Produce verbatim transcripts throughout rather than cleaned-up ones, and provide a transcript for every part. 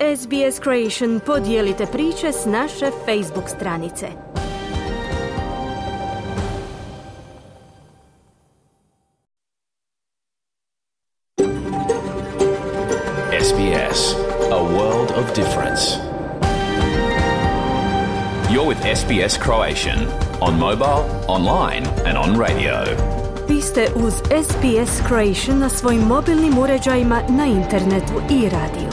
S B S Creation podijelite priče s naše Facebook stranice. S B S, a world of difference. You're with S B S Croatian on mobile, online and on radio. Vi ste uz S B S Croatian na svojim mobilnim uređajima, na internetu i radiju.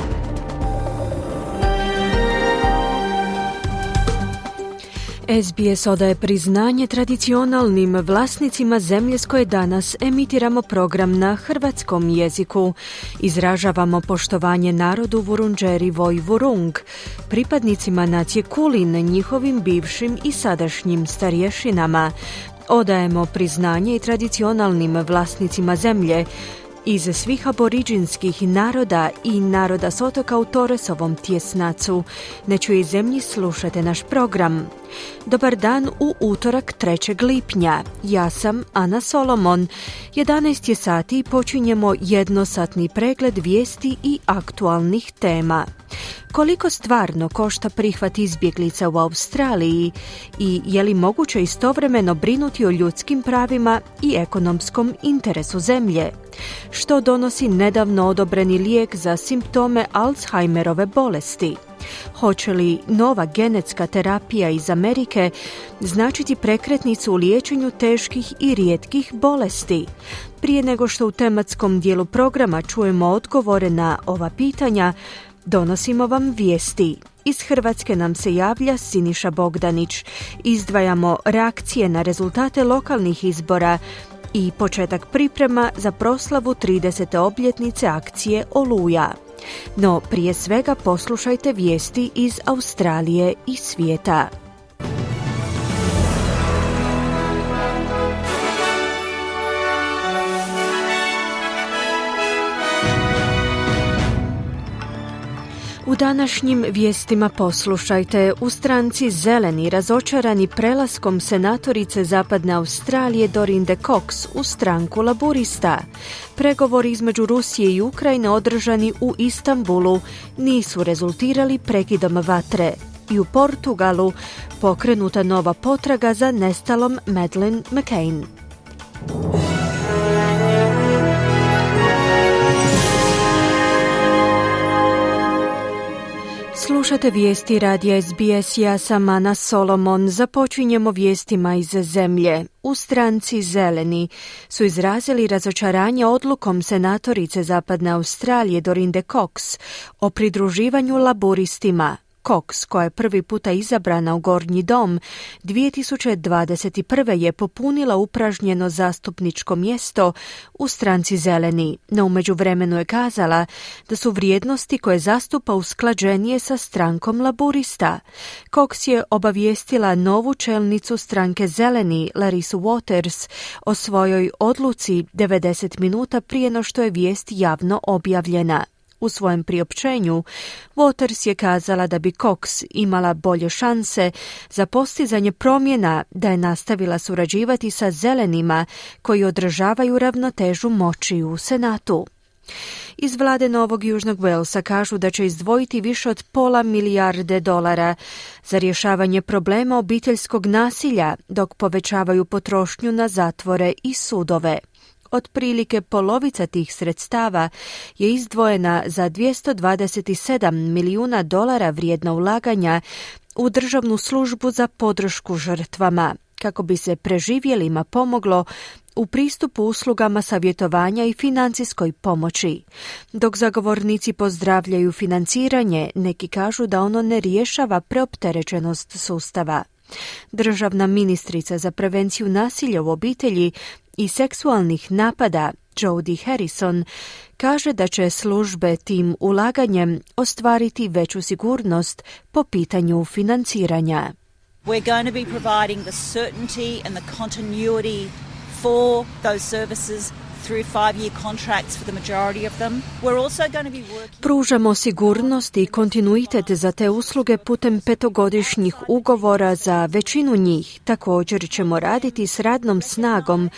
S B S odaje priznanje tradicionalnim vlasnicima zemlje s koje danas emitiramo program na hrvatskom jeziku. Izražavamo poštovanje narodu Vurundjeri Voi Vurung, pripadnicima nacije Kulin, njihovim bivšim i sadašnjim starješinama. Odajemo priznanje i tradicionalnim vlasnicima zemlje iz svih aboriđinskih naroda i naroda s otoka u Torresovom tjesnacu. Na čijoj zemlji slušate naš program. Dobar dan u utorak trećeg lipnja. Ja sam Ana Solomon. jedanaest je sati i počinjemo jednosatni pregled vijesti i aktualnih tema. Koliko stvarno košta prihvat izbjeglica u Australiji i je li moguće istovremeno brinuti o ljudskim pravima i ekonomskom interesu zemlje? Što donosi nedavno odobreni lijek za simptome Alzheimerove bolesti? Hoće li nova genetska terapija iz Amerike značiti prekretnicu u liječenju teških i rijetkih bolesti? Prije nego što u tematskom dijelu programa čujemo odgovore na ova pitanja, donosimo vam vijesti. Iz Hrvatske nam se javlja Siniša Bogdanić. Izdvajamo reakcije na rezultate lokalnih izbora i početak priprema za proslavu tridesete obljetnice akcije Oluja. No prije svega poslušajte vijesti iz Australije i svijeta. U današnjim vijestima poslušajte: u stranci Zeleni razočarani prelaskom senatorice Zapadne Australije Dorinde Cox u stranku Laburista. Pregovori između Rusije i Ukrajine održani u Istanbulu nisu rezultirali prekidom vatre. I u Portugalu pokrenuta nova potraga za nestalom Madeleine McCann. Slušate vijesti radija S B S, ja sam Ana Solomon. Započinjemo vijestima iz zemlje. U stranci Zeleni su izrazili razočaranje odlukom senatorice Zapadne Australije Dorinde Cox o pridruživanju Laburistima. Cox, koja je prvi puta izabrana u Gornji dom, dvije tisuće dvadeset prve je popunila upražnjeno zastupničko mjesto u stranci Zeleni, no u međuvremenu je kazala da su vrijednosti koje zastupa usklađenije sa strankom Laburista. Cox je obavijestila novu čelnicu stranke Zeleni, Larisu Waters, o svojoj odluci devedeset minuta prije no što je vijest javno objavljena. U svojem priopćenju, Waters je kazala da bi Cox imala bolje šanse za postizanje promjena da je nastavila surađivati sa zelenima koji održavaju ravnotežu moći u Senatu. Iz vlade Novog Južnog Walesa kažu da će izdvojiti više od pola milijarde dolara za rješavanje problema obiteljskog nasilja, dok povećavaju potrošnju na zatvore i sudove. Otprilike polovica tih sredstava je izdvojena za dvjesto dvadeset sedam milijuna dolara vrijedna ulaganja u državnu službu za podršku žrtvama, kako bi se preživjelima pomoglo u pristupu uslugama savjetovanja i financijskoj pomoći. Dok zagovornici pozdravljaju financiranje, neki kažu da ono ne rješava preopterećenost sustava. Državna ministrica za prevenciju nasilja u obitelji i seksualnih napada, Jodi Harrison, kaže da će službe tim ulaganjem ostvariti veću sigurnost po pitanju financiranja. We're going to be providing the certainty and the continuity for those services through five-year contracts for the majority of them. We're also going to be working... Pružamo sigurnost i kontinuitet za te usluge putem petogodišnjih ugovora za većinu njih. Također ćemo raditi s radnom snagom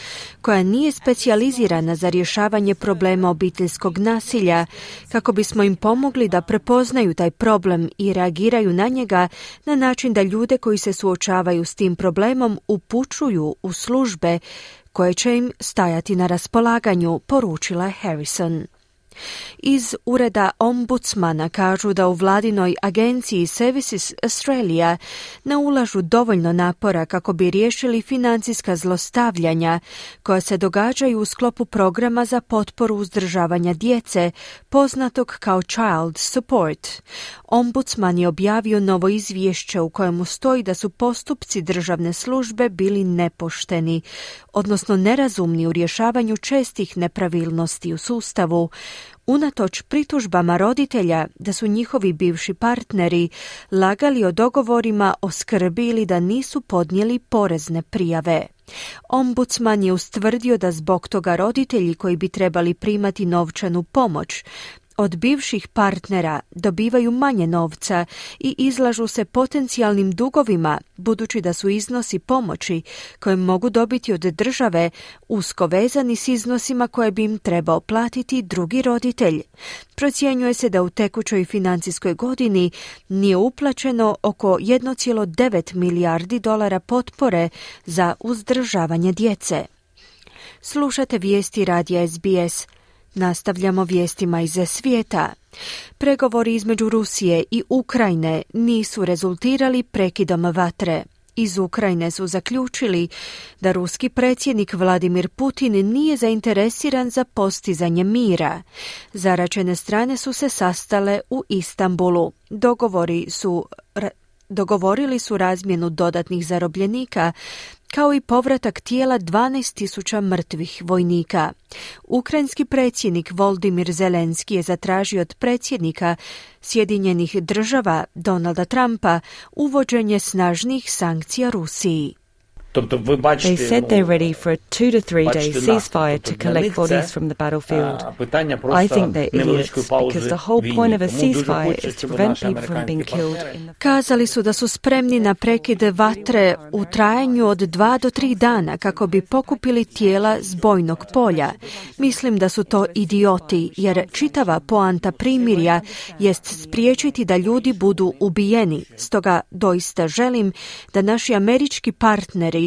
koja nije specijalizirana za rješavanje problema obiteljskog nasilja, kako bismo im pomogli da prepoznaju taj problem i reagiraju na njega na način da ljude koji se suočavaju s tim problemom upućuju u službe koje će im stajati na raspolaganju, poručila je Harrison. Iz ureda ombudsmana kažu da u vladinoj agenciji Services Australia ne ulažu dovoljno napora kako bi riješili financijska zlostavljanja koja se događaju u sklopu programa za potporu uzdržavanja djece, poznatog kao Child Support. Ombudsman je objavio novo izvješće u kojemu stoji da su postupci državne službe bili nepošteni, odnosno nerazumni u rješavanju čestih nepravilnosti u sustavu, unatoč pritužbama roditelja da su njihovi bivši partneri lagali o dogovorima o skrbi ili da nisu podnijeli porezne prijave. Ombudsman je ustvrdio da zbog toga roditelji koji bi trebali primati novčanu pomoć od bivših partnera dobivaju manje novca i izlažu se potencijalnim dugovima, budući da su iznosi pomoći koje mogu dobiti od države usko vezani s iznosima koje bi im trebao platiti drugi roditelj. Procjenjuje se da u tekućoj financijskoj godini nije uplaćeno oko jedan zarez devet milijardi dolara potpore za uzdržavanje djece. Slušate vijesti radija S B S. Nastavljamo vijestima iz svijeta. Pregovori između Rusije i Ukrajine nisu rezultirali prekidom vatre. Iz Ukrajine su zaključili da ruski predsjednik Vladimir Putin nije zainteresiran za postizanje mira. Zaračene strane su se sastale u Istanbulu. Dogovori su, dogovorili su razmjenu dodatnih zarobljenika, kao i povratak tijela dvanaest tisuća mrtvih vojnika. Ukrajinski predsjednik Volodymyr Zelenski je zatražio od predsjednika Sjedinjenih država Donalda Trumpa uvođenje snažnih sankcija Rusiji. They said they're ready for a two to three day ceasefire to collect bodies from the battlefield. I think they're idiots because the whole point of a ceasefire is to prevent people from being killed. Kazali su da su spremni na prekid vatre u trajanju od dva do tri dana kako bi pokupili tijela s bojnog polja. Mislim da su to idioti, jer čitava poanta primirja jest spriječiti da ljudi budu ubijeni. Stoga doista želim da naši američki partneri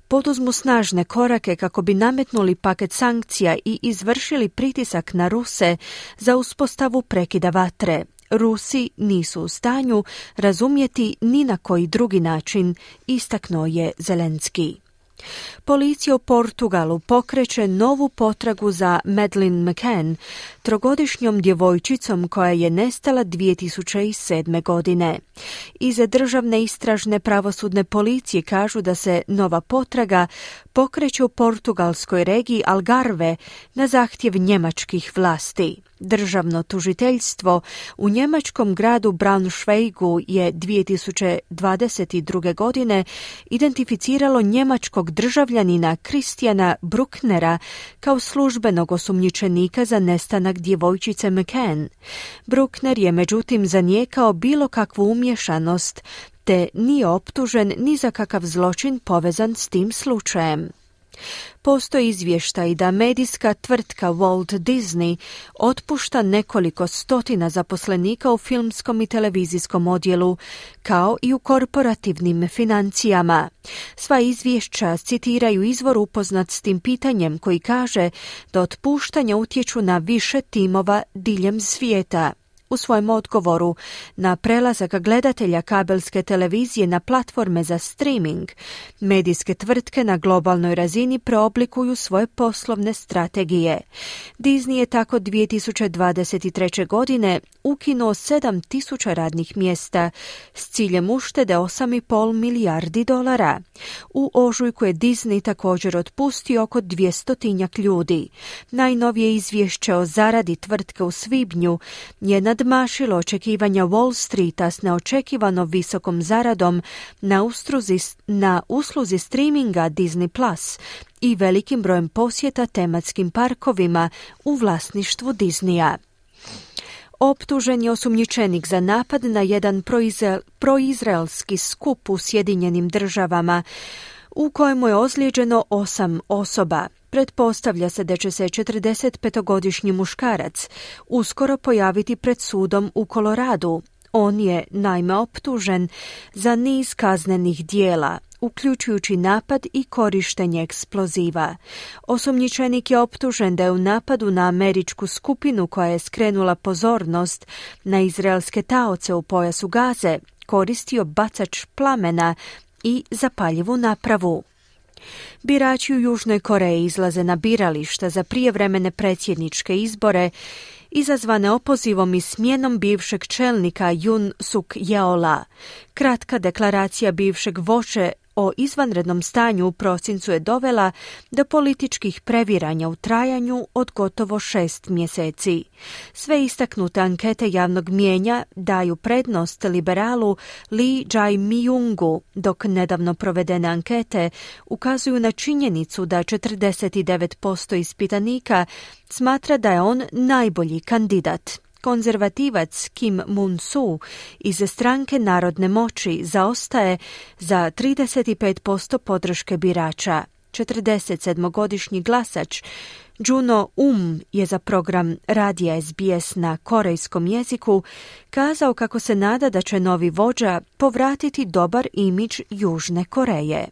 poduzmu snažne korake kako bi nametnuli paket sankcija i izvršili pritisak na Ruse za uspostavu prekida vatre. Rusi nisu u stanju razumjeti ni na koji drugi način, istaknuo je Zelenski. Policija u Portugalu pokreće novu potragu za Madeleine McCann, trogodišnjom djevojčicom koja je nestala dvije tisuće sedme. godine. Iz državne istražne pravosudne policije kažu da se nova potraga pokreće u portugalskoj regiji Algarve na zahtjev njemačkih vlasti. Državno tužiteljstvo u njemačkom gradu Braunschweigu je dvije tisuće dvadeset druge. godine identificiralo njemačkog državljanina Christiana Brucknera kao službenog osumnjičenika za nestanak djevojčice McCann. Bruckner je međutim zanijekao bilo kakvu umješanost, te nije optužen ni za kakav zločin povezan s tim slučajem. Postoji izvještaj da medijska tvrtka Walt Disney otpušta nekoliko stotina zaposlenika u filmskom i televizijskom odjelu, kao i u korporativnim financijama. Sva izvješća citiraju izvor upoznat s tim pitanjem koji kaže da otpuštanja utječu na više timova diljem svijeta. U svojem odgovoru na prelazak gledatelja kabelske televizije na platforme za streaming, medijske tvrtke na globalnoj razini preoblikuju svoje poslovne strategije. Disney je tako dvije tisuće dvadeset treće. godine ukinuo sedam tisuća radnih mjesta s ciljem uštede osam zarez pet milijardi dolara. U ožujku je Disney također otpustio oko dvjestotinjak ljudi. Najnovije izvješće o zaradi tvrtke u svibnju je na nadmašilo očekivanja Wall Streeta s neočekivano visokom zaradom na, ustruzi, na usluzi streaminga Disney Plus i velikim brojem posjeta tematskim parkovima u vlasništvu Disneya. Optužen je osumnjičenik za napad na jedan proizrael, proizraelski skup u Sjedinjenim državama, u kojemu je ozlijeđeno osam osoba. Pretpostavlja se da će se četrdesetpetogodišnji muškarac uskoro pojaviti pred sudom u Koloradu. On je naime optužen za niz kaznenih dijela, uključujući napad i korištenje eksploziva. Osumnjičenik je optužen da je u napadu na američku skupinu koja je skrenula pozornost na izraelske taoce u pojasu Gaze koristio bacač plamena i zapaljivu napravu. Birači u Južnoj Koreji izlaze na birališta za prijevremene predsjedničke izbore izazvane opozivom i smjenom bivšeg čelnika Yoon Suk Yeola. Kratka deklaracija bivšeg vođe o izvanrednom stanju u prosincu je dovela do političkih previranja u trajanju od gotovo šest mjeseci. Sve istaknute ankete javnog mijenja daju prednost liberalu Lee Jae-myungu, dok nedavno provedene ankete ukazuju na činjenicu da četrdeset devet posto ispitanika smatra da je on najbolji kandidat. Konzervativac Kim Moon-soo iz stranke Narodne moći zaostaje za trideset pet posto podrške birača. četrdesetsedmogodišnji glasač Juno Um je za program radija S B S na korejskom jeziku kazao kako se nada da će novi vođa povratiti dobar imidž Južne Koreje.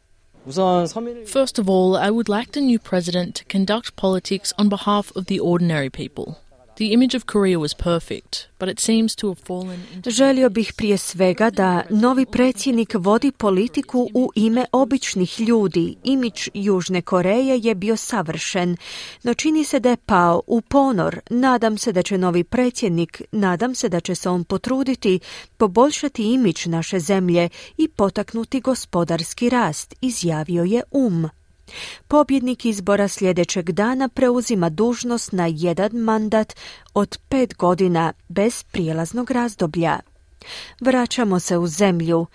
First of all, I would like the new president to conduct politics on behalf of the ordinary people. The image of Korea was perfect, but it seems to have fallen into... Želio bih prije svega da novi predsjednik vodi politiku u ime običnih ljudi. Imidž Južne Koreje je bio savršen, no čini se da je pao u ponor. Nadam se da će novi predsjednik, nadam se da će se on potruditi poboljšati imidž naše zemlje i potaknuti gospodarski rast, izjavio je Um. Pobjednik izbora sljedećeg dana preuzima dužnost na jedan mandat od pet godina bez prijelaznog razdoblja. Vraćamo se u zemlju.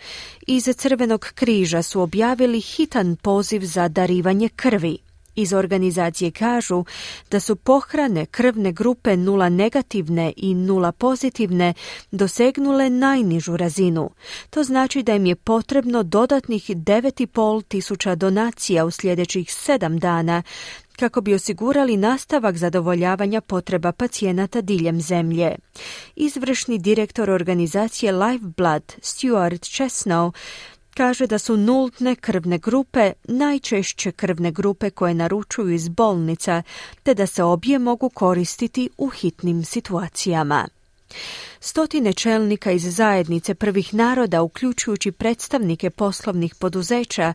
Iz Crvenog križa su objavili hitan poziv za darivanje krvi. Iz organizacije kažu da su pohrane krvne grupe nula negativne i nula pozitivne dosegnule najnižu razinu. To znači da im je potrebno dodatnih devet i pol tisuća donacija u sljedećih sedam dana kako bi osigurali nastavak zadovoljavanja potreba pacijenata diljem zemlje. Izvršni direktor organizacije Lifeblood, Stuart Chesnow, kaže da su nultne krvne grupe najčešće krvne grupe koje naručuju iz bolnica, te da se obje mogu koristiti u hitnim situacijama. Stotine čelnika iz zajednice prvih naroda, uključujući predstavnike poslovnih poduzeća,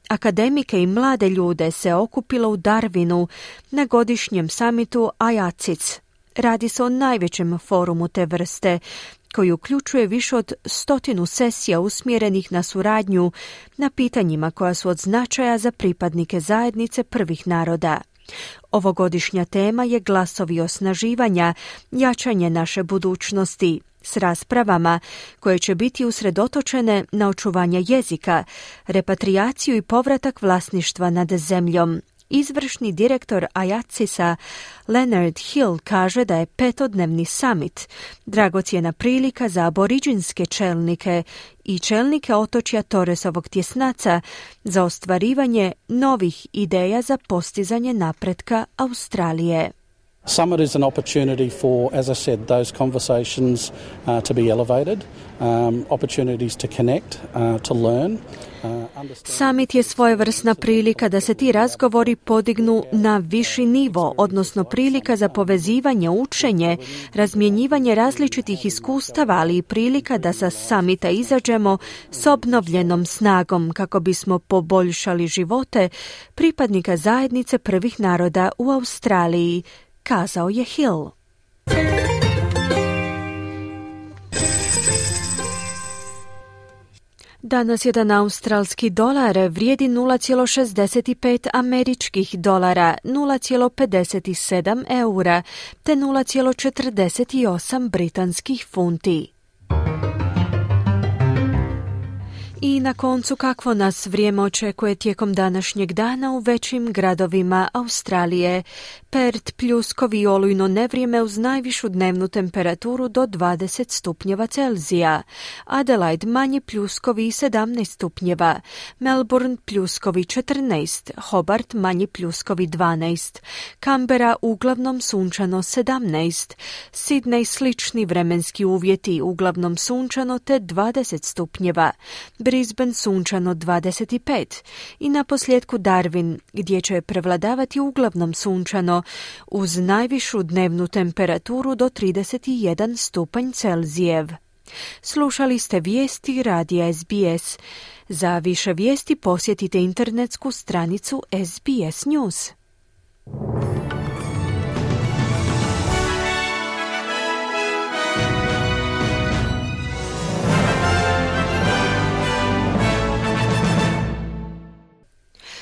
akademike i mlade ljude, se okupilo u Darwinu na godišnjem samitu I A C I C. Radi se o najvećem forumu te vrste, koji uključuje više od stotinu sesija usmjerenih na suradnju na pitanjima koja su od značaja za pripadnike zajednice prvih naroda. Ovogodišnja tema je glasovi osnaživanja, jačanje naše budućnosti, s raspravama koje će biti usredotočene na očuvanje jezika, repatriaciju i povratak vlasništva nad zemljom. Izvršni direktor I A C I C-a Leonard Hill kaže da je petodnevni summit dragocjena prilika za aboriđinske čelnike i čelnike otočja Torresovog tjesnaca za ostvarivanje novih ideja za postizanje napretka Australije. Summit is an opportunity for, as I said, those conversations uh, to be elevated, um, opportunities to connect, uh, to learn. Summit je svojevrsna prilika da se ti razgovori podignu na viši nivo, odnosno prilika za povezivanje, učenje, razmjenjivanje različitih iskustava, ali i prilika da sa summita izađemo s obnovljenom snagom kako bismo poboljšali živote pripadnika zajednice prvih naroda u Australiji, kazao je Hill. Danas jedan australski dolar vrijedi nula zarez šezdeset pet američkih dolara, nula zarez pedeset sedam eura te nula zarez četrdeset osam britanskih funti. I na koncu, kakvo nas vrijeme očekuje tijekom današnjeg dana u većim gradovima Australije. Perth pljuskovi i olujno nevrijeme uz najvišu dnevnu temperaturu do dvadeset stupnjeva Celzija. Adelaide manji pljuskovi i sedamnaest stupnjeva. Melbourne pljuskovi četrnaest. Hobart manji pljuskovi dvanaest. Canberra uglavnom sunčano sedamnaest. Sydney slični vremenski uvjeti, uglavnom sunčano te dvadeset stupnjeva. Brisbane sunčano dvadeset pet i na posljedku Darwin gdje će prevladavati uglavnom sunčano uz najvišu dnevnu temperaturu do trideset jedan stupanj Celzijev. Slušali ste vijesti radija S B S. Za više vijesti posjetite internetsku stranicu S B S News.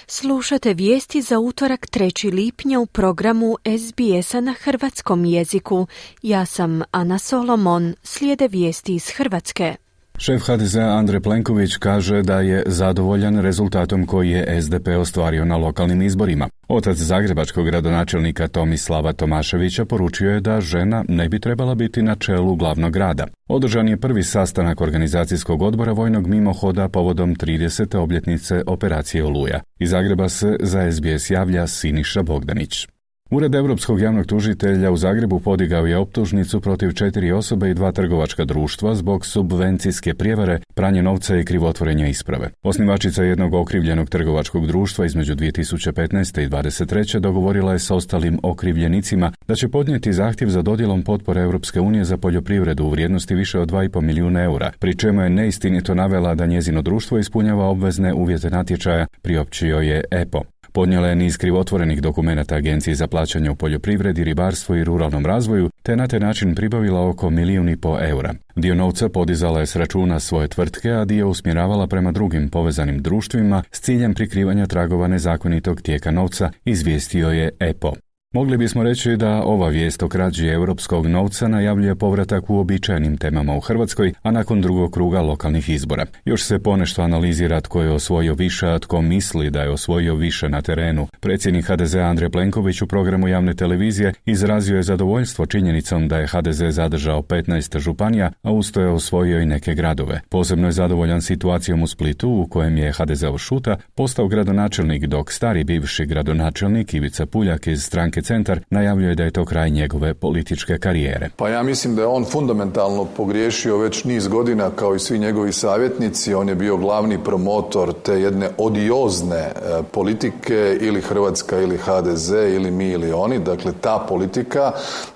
Slušate vijesti za utorak trećeg lipnja u programu S B S-a na hrvatskom jeziku. Ja sam Ana Solomon, slijede vijesti iz Hrvatske. Šef H D Z-a Andrej Plenković kaže da je zadovoljan rezultatom koji je S D P ostvario na lokalnim izborima. Otac zagrebačkog gradonačelnika Tomislava Tomaševića poručio je da žena ne bi trebala biti na čelu glavnog grada. Održan je prvi sastanak organizacijskog odbora vojnog mimohoda povodom tridesete obljetnice operacije Oluja. Iz Zagreba se za S B S javlja Siniša Bogdanić. Ured Europskog javnog tužitelja u Zagrebu podigao je optužnicu protiv četiri osobe i dva trgovačka društva zbog subvencijske prijevare, pranje novca i krivotvorenja isprave. Osnivačica jednog okrivljenog trgovačkog društva između dvije tisuće petnaeste i dvadeset treće dogovorila je s ostalim okrivljenicima da će podnijeti zahtjev za dodjelom potpore Europske unije za poljoprivredu u vrijednosti više od dva i pol milijuna eura, pri čemu je neistinito navela da njezino društvo ispunjava obvezne uvjete natječaja, priopćio je E P O. Podnijela je niz krivotvorenih dokumenata Agenciji za plaćanje u poljoprivredi, ribarstvu i ruralnom razvoju, te na taj način pribavila oko milijun i po eura. Dio novca podizala je s računa svoje tvrtke, a dio usmjeravala prema drugim povezanim društvima s ciljem prikrivanja tragova nezakonitog tijeka novca, izvijestio je E P O. Mogli bismo reći da ova vijest o krađi europskog novca najavljuje povratak u uobičajenim temama u Hrvatskoj, a nakon drugog kruga lokalnih izbora. Još se ponešto analizira tko je osvojio više, a tko misli da je osvojio više na terenu. Predsjednik H D Z-a Andrej Plenković u programu javne televizije izrazio je zadovoljstvo činjenicom da je H D Z zadržao petnaest županija, a usto je osvojio i neke gradove. Posebno je zadovoljan situacijom u Splitu, u kojem je H D Z-ov Šuta postao gradonačelnik, dok stari bivši gradonačelnik Ivica Puljak iz stranke Centar najavljuje da je to kraj njegove političke karijere. Pa ja mislim da je on fundamentalno pogriješio već niz godina, kao i svi njegovi savjetnici. On je bio glavni promotor te jedne odiozne e, politike, ili Hrvatska ili H D Z ili mi ili oni. Dakle, ta politika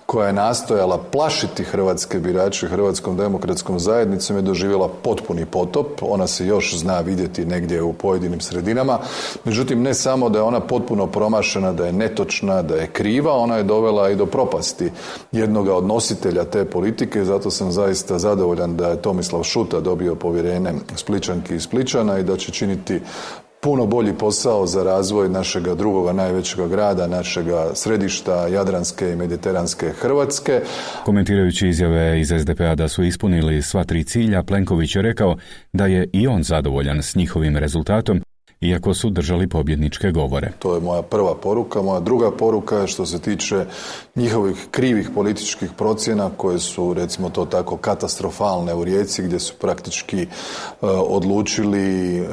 koja je nastojala plašiti hrvatske birače Hrvatskom demokratskom zajednicom je doživjela potpuni potop. Ona se još zna vidjeti negdje u pojedinim sredinama. Međutim, ne samo da je ona potpuno promašena, da je netočna, da je kriva, ona je dovela i do propasti jednoga od nositelja te politike. Zato sam zaista zadovoljan da je Tomislav Šuta dobio povjerenje Spličanki i Spličana i da će činiti puno bolji posao za razvoj našega drugoga najvećega grada, našega središta jadranske i mediteranske Hrvatske. Komentirajući izjave iz S D P-a da su ispunili sva tri cilja, Plenković je rekao da je i on zadovoljan s njihovim rezultatom, iako su držali pobjedničke govore. To je moja prva poruka. Moja druga poruka je što se tiče njihovih krivih političkih procjena koje su, recimo to tako, katastrofalne u Rijeci, gdje su praktički uh, odlučili uh,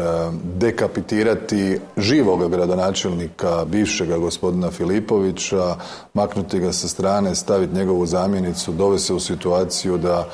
dekapitirati živoga gradonačelnika, bivšega gospodina Filipovića, maknuti ga sa strane, staviti njegovu zamjenicu, dovesti se u situaciju da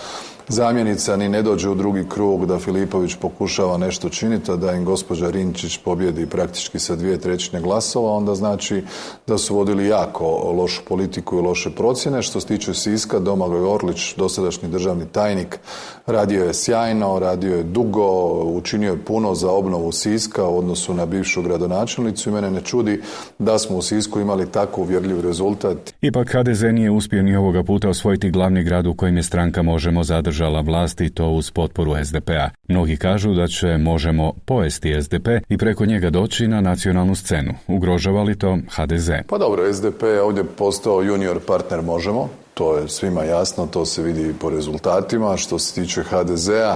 zamjenica ni ne dođe u drugi krug, da Filipović pokušava nešto činiti, a da im gospođa Rinčić pobjedi praktički sa dvije trećine glasova, onda znači da su vodili jako lošu politiku i loše procjene. Što se tiče Siska, Domagoj Orlić, dosadašnji državni tajnik, radio je sjajno, radio je dugo, učinio je puno za obnovu Siska u odnosu na bivšu gradonačelnicu i mene ne čudi da smo u Sisku imali tako uvjerljiv rezultat. Ipak H D Z nije uspio ni ovoga puta osvojiti glavni grad u kojem je stranka Možemo zadržati zadržala vlast i to uz potporu es de pea. Mnogi kažu da će Možemo pojesti es de pe i preko njega doći na nacionalnu scenu. Ugrožava li to ha de ze? Pa dobro, es de pe je ovdje postao junior partner Možemo. To je svima jasno, to se vidi i po rezultatima. Što se tiče ha de zea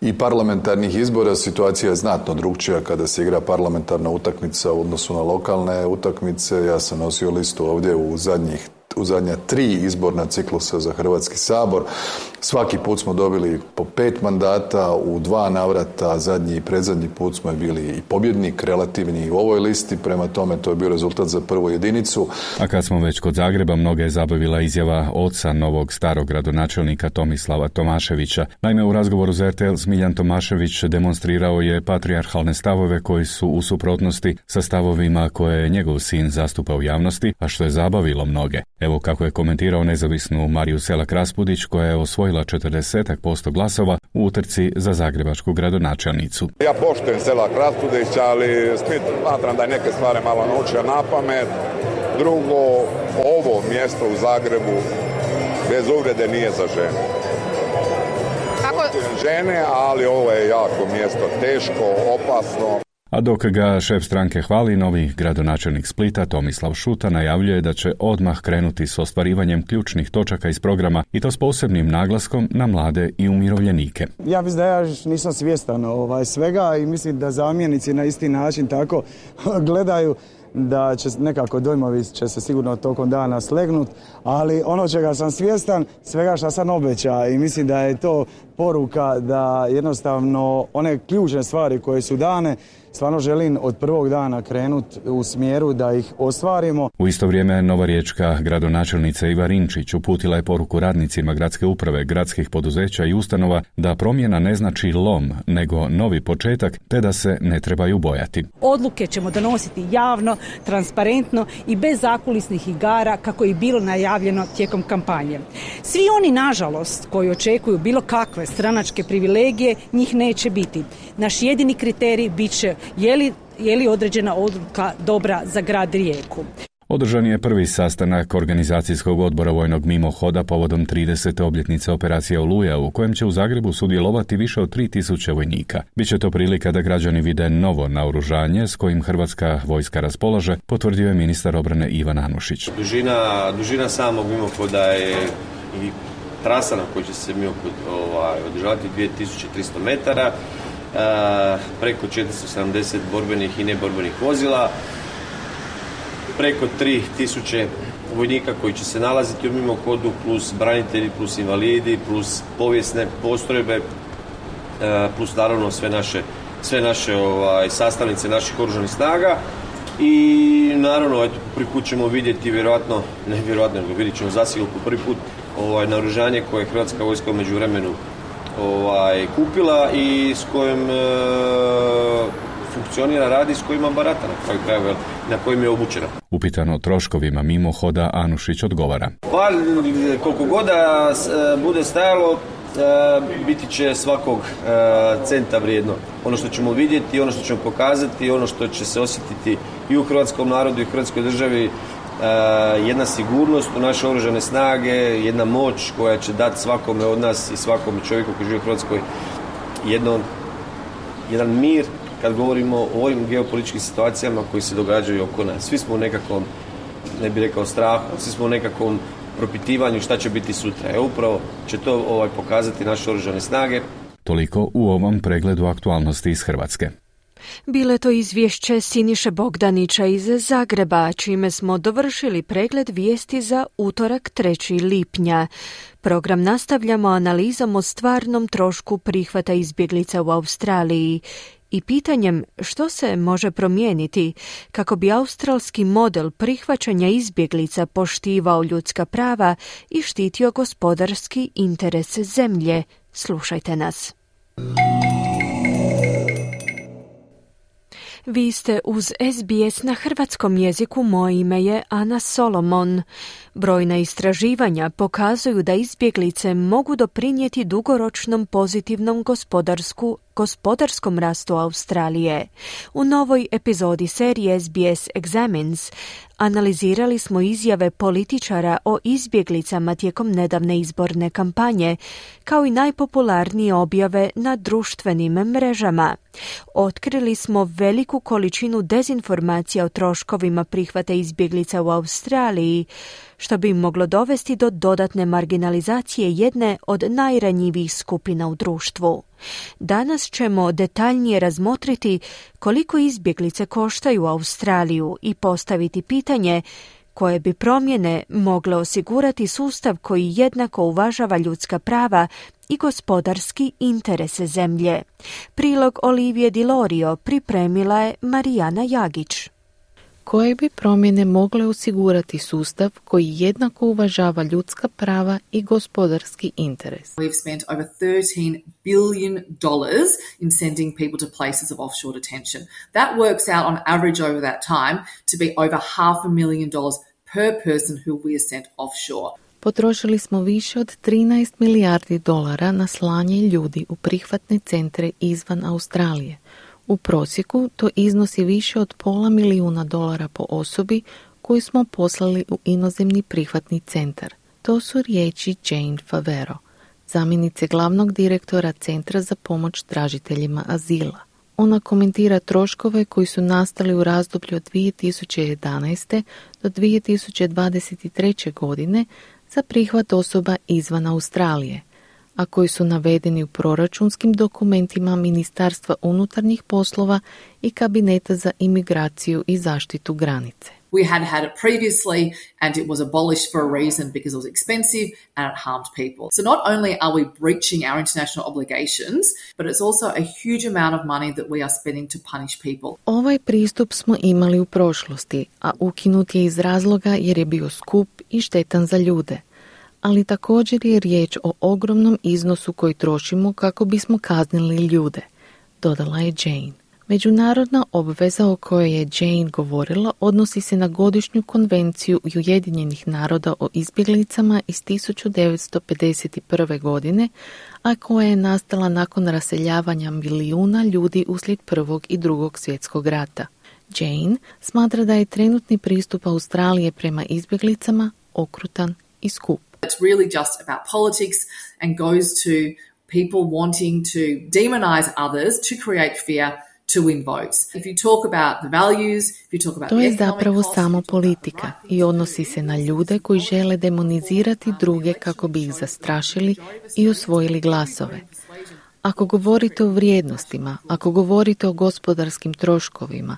i parlamentarnih izbora, situacija je znatno drukčija kada se igra parlamentarna utakmica u odnosu na lokalne utakmice. Ja sam nosio listu ovdje u zadnjih u zadnja tri izborna ciklusa za Hrvatski sabor. Svaki put smo dobili po pet mandata, u dva navrata, zadnji i predzadnji put smo bili i pobjednik relativni u ovoj listi, prema tome to je bio rezultat za prvu jedinicu. A kad smo već kod Zagreba, mnoge je zabavila izjava oca novog starog gradonačelnika Tomislava Tomaševića. Naime, u razgovoru za er te el Smiljan Tomašević demonstrirao je patrijarhalne stavove koji su u suprotnosti sa stavovima koje je njegov sin zastupa u javnosti, a što je zabavilo mnoge. Evo kako je komentirao nezavisnu Mariju Selak-Raspudić, koja je osvojila četrdeset posto glasova u utrci za zagrebačku gradonačelnicu. Ja poštujem Selak-Raspudić, ali smatram da je neke stvari malo naučio na pamet. Drugo, ovo mjesto u Zagrebu bez uvrede nije za žene. Kako? Žene, ali ovo je jako mjesto, teško, opasno. A dok ga šef stranke hvali, novi gradonačelnik Splita Tomislav Šuta najavljuje da će odmah krenuti s ostvarivanjem ključnih točaka iz programa i to s posebnim naglaskom na mlade i umirovljenike. Ja mislim da ja nisam svjestan ovaj, svega i mislim da zamjenici na isti način tako gledaju da će nekako dojmovi će se sigurno tokom dana slegnut, ali ono čega sam svjestan, svega što sam obeća i mislim da je to poruka da jednostavno one ključne stvari koje su dane stvarno želim od prvog dana krenuti u smjeru da ih ostvarimo. U isto vrijeme nova riječka gradonačelnica Iva Rinčić uputila je poruku radnicima gradske uprave, gradskih poduzeća i ustanova da promjena ne znači lom, nego novi početak, te da se ne trebaju bojati. Odluke ćemo donositi javno, transparentno i bez zakulisnih igara kako je bilo najavljeno tijekom kampanje. Svi oni, nažalost, koji očekuju bilo kakve stranačke privilegije, njih neće biti. Naš jedini kriterij bit će je li, je li određena odluka dobra za grad Rijeku. Održan je prvi sastanak organizacijskog odbora vojnog mimohoda povodom tridesete obljetnice operacije Oluja, u kojem će u Zagrebu sudjelovati više od tri tisuće vojnika. Biće to prilika da građani vide novo naoružanje s kojim hrvatska vojska raspolaže, potvrdio je ministar obrane Ivan Anušić. Dužina, dužina samog mimohoda je i trasa na kojoj će se mimohod ovaj, održavati dvije tisuće tristo metara, e, preko četiristo sedamdeset borbenih i neborbenih vozila, preko tri tisuće vojnika koji će se nalaziti u mimohodu, plus branitelji, plus invalidi, plus povijesne postrojbe, plus naravno sve naše, sve naše ovaj, sastavnice naših oružanih snaga. I naravno, eto, prvi put ćemo vidjeti, vjerojatno, ne vjerojatno, nego vidjet ćemo zasigurno po prvi put ovaj, naoružanje koje je Hrvatska vojska u međuvremenu ovaj, kupila i s kojim e, funkcionira, radi, s kojima barata na kraju krajeva, na kojim je obučena. Upitano troškovima mimohoda, Anušić odgovara. Pa, koliko god da bude stajalo, biti će svakog centa vrijedno. Ono što ćemo vidjeti, ono što ćemo pokazati, ono što će se osjetiti i u hrvatskom narodu i u hrvatskoj državi, jedna sigurnost u naše oružane snage, jedna moć koja će dati svakome od nas i svakom čovjeku koji živi u Hrvatskoj jedno, jedan mir kad govorimo o ovim geopolitičkim situacijama koji se događaju oko nas. Svi smo u nekakvom, ne bih rekao strahu, svi smo u nekakvom propitivanju šta će biti sutra. E upravo će to ovaj, pokazati naše oružane snage. Toliko u ovom pregledu aktualnosti iz Hrvatske. Bile to izvješće Siniše Bogdanića iz Zagreba, čime smo dovršili pregled vijesti za utorak trećeg lipnja. Program nastavljamo analizom o stvarnom trošku prihvata izbjeglica u Australiji i pitanjem što se može promijeniti kako bi australski model prihvaćanja izbjeglica poštivao ljudska prava i štitio gospodarski interes zemlje. Slušajte nas. Vi ste uz es be es na hrvatskom jeziku, moje ime je Ana Solomon. Brojna istraživanja pokazuju da izbjeglice mogu doprinijeti dugoročnom pozitivnom gospodarsku gospodarskom rastu Australije. U novoj epizodi serije S B S Examines analizirali smo izjave političara o izbjeglicama tijekom nedavne izborne kampanje, kao i najpopularnije objave na društvenim mrežama. Otkrili smo veliku količinu dezinformacija o troškovima prihvata izbjeglica u Australiji, što bi moglo dovesti do dodatne marginalizacije jedne od najranjivijih skupina u društvu. Danas ćemo detaljnije razmotriti koliko izbjeglice koštaju Australiju i postaviti pitanje koje bi promjene mogle osigurati sustav koji jednako uvažava ljudska prava i gospodarski interese zemlje. Prilog Olivije Di Lorio pripremila je Marijana Jagić. Koje bi promjene mogle osigurati sustav koji jednako uvažava ljudska prava i gospodarski interes? We've spent over thirteen billion dollars in sending people to places of offshore detention. That works out on average over that time to be over half a million dollars per person who we have sent offshore. Potrošili smo više od trinaest milijardi dolara na slanje ljudi u prihvatne centre izvan Australije. U prosjeku to iznosi više od pola milijuna dolara po osobi koju smo poslali u inozemni prihvatni centar. To su riječi Jane Favero, zamjenice glavnog direktora Centra za pomoć tražiteljima azila. Ona komentira troškove koji su nastali u razdoblju od dvije tisuće jedanaeste do dvije tisuće dvadeset treće. godine za prihvat osoba izvan Australije, a koji su navedeni u proračunskim dokumentima Ministarstva unutarnjih poslova i Kabineta za imigraciju i zaštitu granice. We had had it previously and it was abolished for a reason because it was expensive and it harmed people. So not only are we breaching our international obligations, but it's also a huge amount of money that we are spending to punish people. Ovaj pristup smo imali u prošlosti, a ukinut je iz razloga jer je bio skup i štetan za ljude. Ali također je riječ o ogromnom iznosu koji trošimo kako bismo kaznili ljude, dodala je Jane. Međunarodna obveza o kojoj je Jane govorila odnosi se na godišnju konvenciju Ujedinjenih naroda o izbjeglicama iz tisuću devetsto pedeset prve. godine, a koja je nastala nakon raseljavanja milijuna ljudi uslijed Prvog i Drugog svjetskog rata. Jane smatra da je trenutni pristup Australije prema izbjeglicama okrutan i skup. It's really just about politics and goes to people wanting to demonize others to create fear to win votes. If you talk about the values, if you talk about to je zapravo samo politika i odnosi se na ljude koji žele demonizirati druge kako bi ih zastrašili i osvojili glasove. Ako govorite o vrijednostima, ako govorite o gospodarskim troškovima,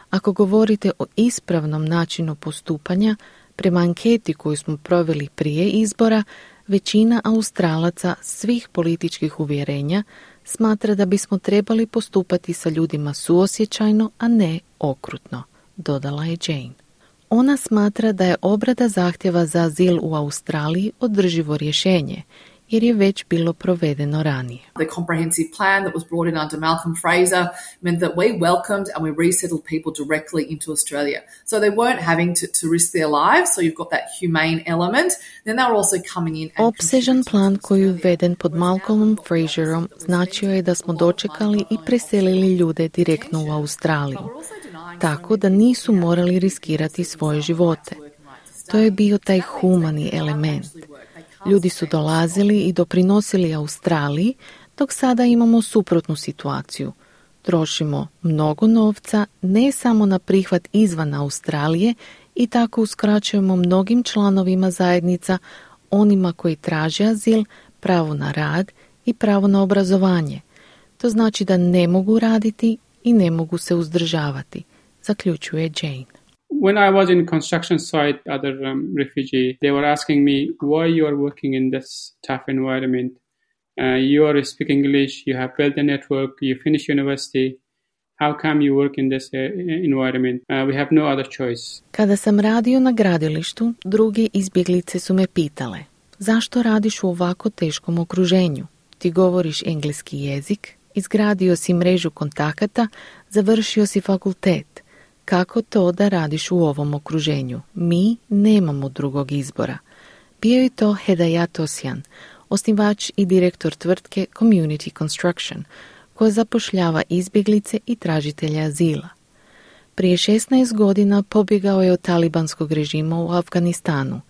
ako govorite o ispravnom načinu postupanja, prema anketi koju smo proveli prije izbora, većina Australaca svih političkih uvjerenja smatra da bismo trebali postupati sa ljudima suosjećajno, a ne okrutno, dodala je Jane. Ona smatra da je obrada zahtjeva za azil u Australiji održivo rješenje, jer je već bilo provedeno ranije. The comprehensive plan that was brought in under Malcolm Fraser meant that we welcomed and we resettled people directly into Australia. So they weren't having to, to risk their lives, so you've got that humane element. Then they were also coming in and Opsežan plan koji je uveden pod Malcolmom Fraserom značio je da smo dočekali i preselili ljude direktno u Australiju, tako da nisu morali riskirati svoje živote. To je bio taj humani element. Ljudi su dolazili i doprinosili Australiji, dok sada imamo suprotnu situaciju. Trošimo mnogo novca ne samo na prihvat izvan Australije i tako uskraćujemo mnogim članovima zajednica, onima koji traže azil, pravo na rad i pravo na obrazovanje. To znači da ne mogu raditi i ne mogu se uzdržavati, zaključuje Jane. When I was in construction site, other um, refugee, they were asking me why you are working in this tough environment. Uh, you are speaking English, you have built a network, you finish university. How come you work in this uh, environment? Uh, we have no other choice. Kada sam radio na gradilištu, drugi izbjeglice su me pitale: zašto radiš u ovako teškom okruženju? Ti govoriš engleski jezik, izgradio si mrežu kontakata, završio si fakultet. Kako to da radiš u ovom okruženju? Mi nemamo drugog izbora. Bio je to Hedayat Osjan, osnivač i direktor tvrtke Community Construction, koja zapošljava izbjeglice i tražitelje azila. Prije šesnaest godina pobjegao je od talibanskog režima u Afganistanu.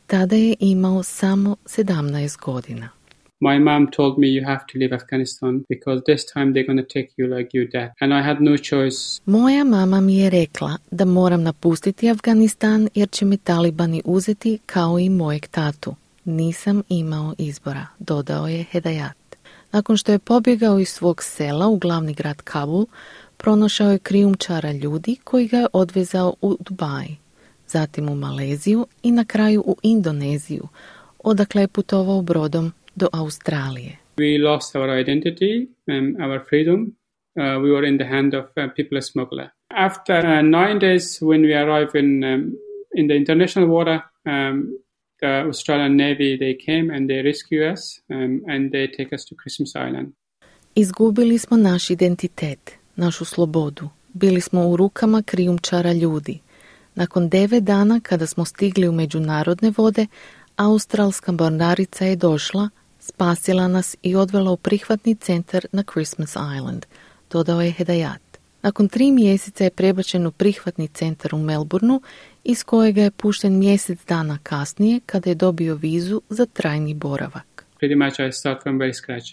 Tada je imao samo sedamnaest godina. My mom told me you have to leave Afghanistan because this time they're going to take you like your dad. And I had no choice. Moja mama mi je rekla da moram napustiti Afganistan jer će me talibani uzeti kao i mojeg tatu. Nisam imao izbora, dodao je Hedayat. Nakon što je pobjegao iz svog sela u glavni grad Kabul, pronašao je krijumčara ljudi koji ga je odvezao u Dubaj, zatim u Maleziju i na kraju u Indoneziju, odakle je putovao brodom do Australije. We lost our identity and our freedom. Uh, we were in the hand of uh, people smuggler. After uh, nine days when we arrived in um, in the international water, um, the Australian Navy, they came and they rescue us um, and they take us to Christmas Island. Izgubili smo naš identitet, našu slobodu. Bili smo u rukama krijumčara ljudi. Nakon devet dana kada smo stigli u međunarodne vode, australska mornarica je došla, spasila nas i odvela u prihvatni centar na Christmas Island, dodao je Hedayat. Nakon tri mjeseca je prebačen u prihvatni centar u Melbourneu, iz kojega je pušten mjesec dana kasnije kada je dobio vizu za trajni boravak. Pretty much I start from very scratch.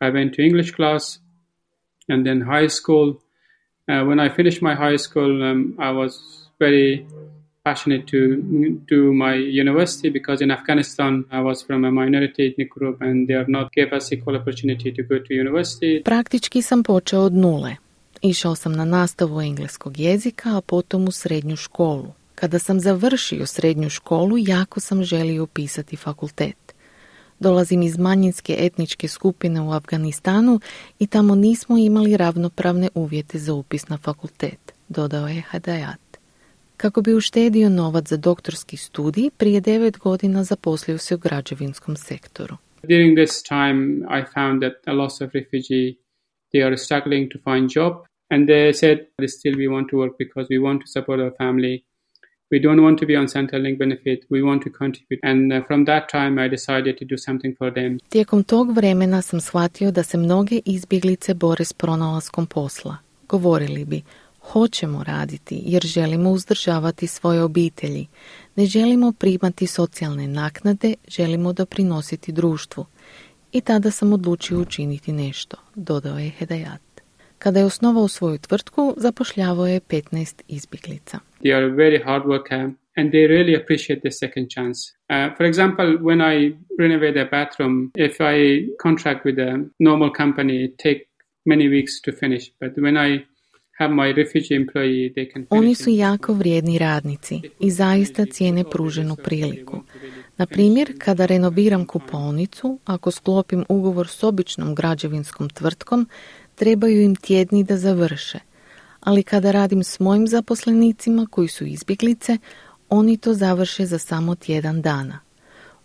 I went to English class and then high school. Uh, when I finished my high school, um, I was very passionate to do my university because in Afghanistan I was from a minority ethnic group and they are not gave us equal opportunity to go to university. Praktički sam počeo od nule. Išao sam na nastavu engleskog jezika, a potom u srednju školu. Kada sam završio srednju školu, jako sam želio upisati fakultet. Dolazim iz manjinske etničke skupine u Afganistanu i tamo nismo imali ravnopravne uvjete za upis na fakultet, dodao je Hedayat. Kako bi uštedio novac za doktorski studij, prije devet godina zaposlio se u građevinskom sektoru. During this time I found that a lot of refugees they are struggling to find job and they said still we want to work because we want to support our family. We don't want to be on Centrelink benefit. We want to contribute. And uh, from that time I decided to do something for them. Tijekom tog vremena sam shvatio da se mnoge izbjeglice bore s pronalaskom posla. Govorili bi, hoćemo raditi jer želimo uzdržavati svoje obitelji. Ne želimo primati socijalne naknade, želimo doprinositi društvu. I tada sam odlučio učiniti nešto, dodao je Hedayat. Kada je osnovao svoju tvrtku, zapošljavao je petnaest izbjeglica. They are very hard worker and they really appreciate the second chance. Uh, for example, when I renovate a bathroom, if I contract with a normal company, it take many weeks to finish. But when I have my refugee employee, they can finish. Oni su jako vrijedni radnici i zaista cijene pruženu priliku. Na primjer, kada renoviram kupaonicu, ako sklopim ugovor s običnom građevinskom tvrtkom, trebaju im tjedni da završe. Ali kada radim s mojim zaposlenicima koji su izbjeglice, oni to završe za samo tjedan dana.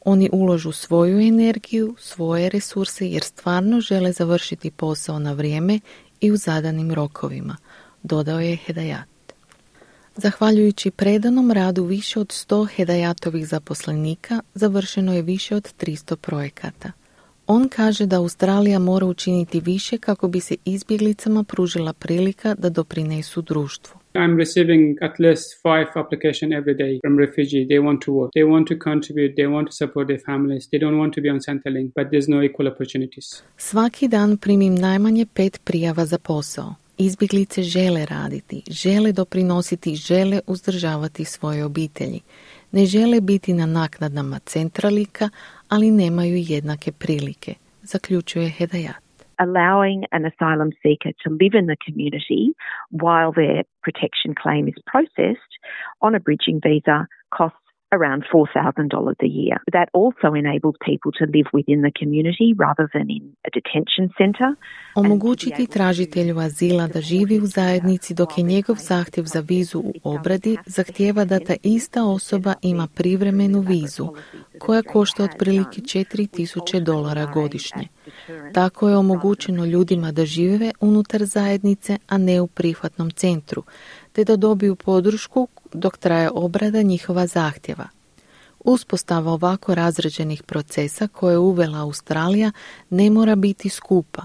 Oni uložu svoju energiju, svoje resurse jer stvarno žele završiti posao na vrijeme i u zadanim rokovima, dodao je Hedayat. Zahvaljujući predanom radu više od sto Hedayatovih zaposlenika, završeno je više od tristo projekata. On kaže da Australija mora učiniti više kako bi se izbjeglicama pružila prilika da doprinesu društvu. I'm receiving at least five applications every day from refugees. They want to work. They want to contribute. They want to support their families. They don't want to be on Centrelink, but there's no equal opportunities. Svaki dan primim najmanje pet prijava za posao. Izbjeglice žele raditi, žele doprinositi, žele uzdržavati svoje obitelji. Ne žele biti na naknadama Centrelika, ali nemaju jednake prilike, zaključuje Hedayat. Allowing an asylum seeker to live in the community while their protection claim is processed on a bridging visa costs around four thousand dollars a year. That also enables people to live within the community rather than in a detention center. Omogućiti tražitelju azila da živi u zajednici dok je njegov zahtjev za vizu u obradi zahtijeva da ta ista osoba ima privremenu vizu koja košta otprilike četiri tisuće dolara godišnje. Tako je omogućeno ljudima da žive unutar zajednice, a ne u prihvatnom centru, te da dobiju podršku dok traje obrada njihova zahtjeva. Uspostava ovako razrađenih procesa koje je uvela Australija ne mora biti skupa,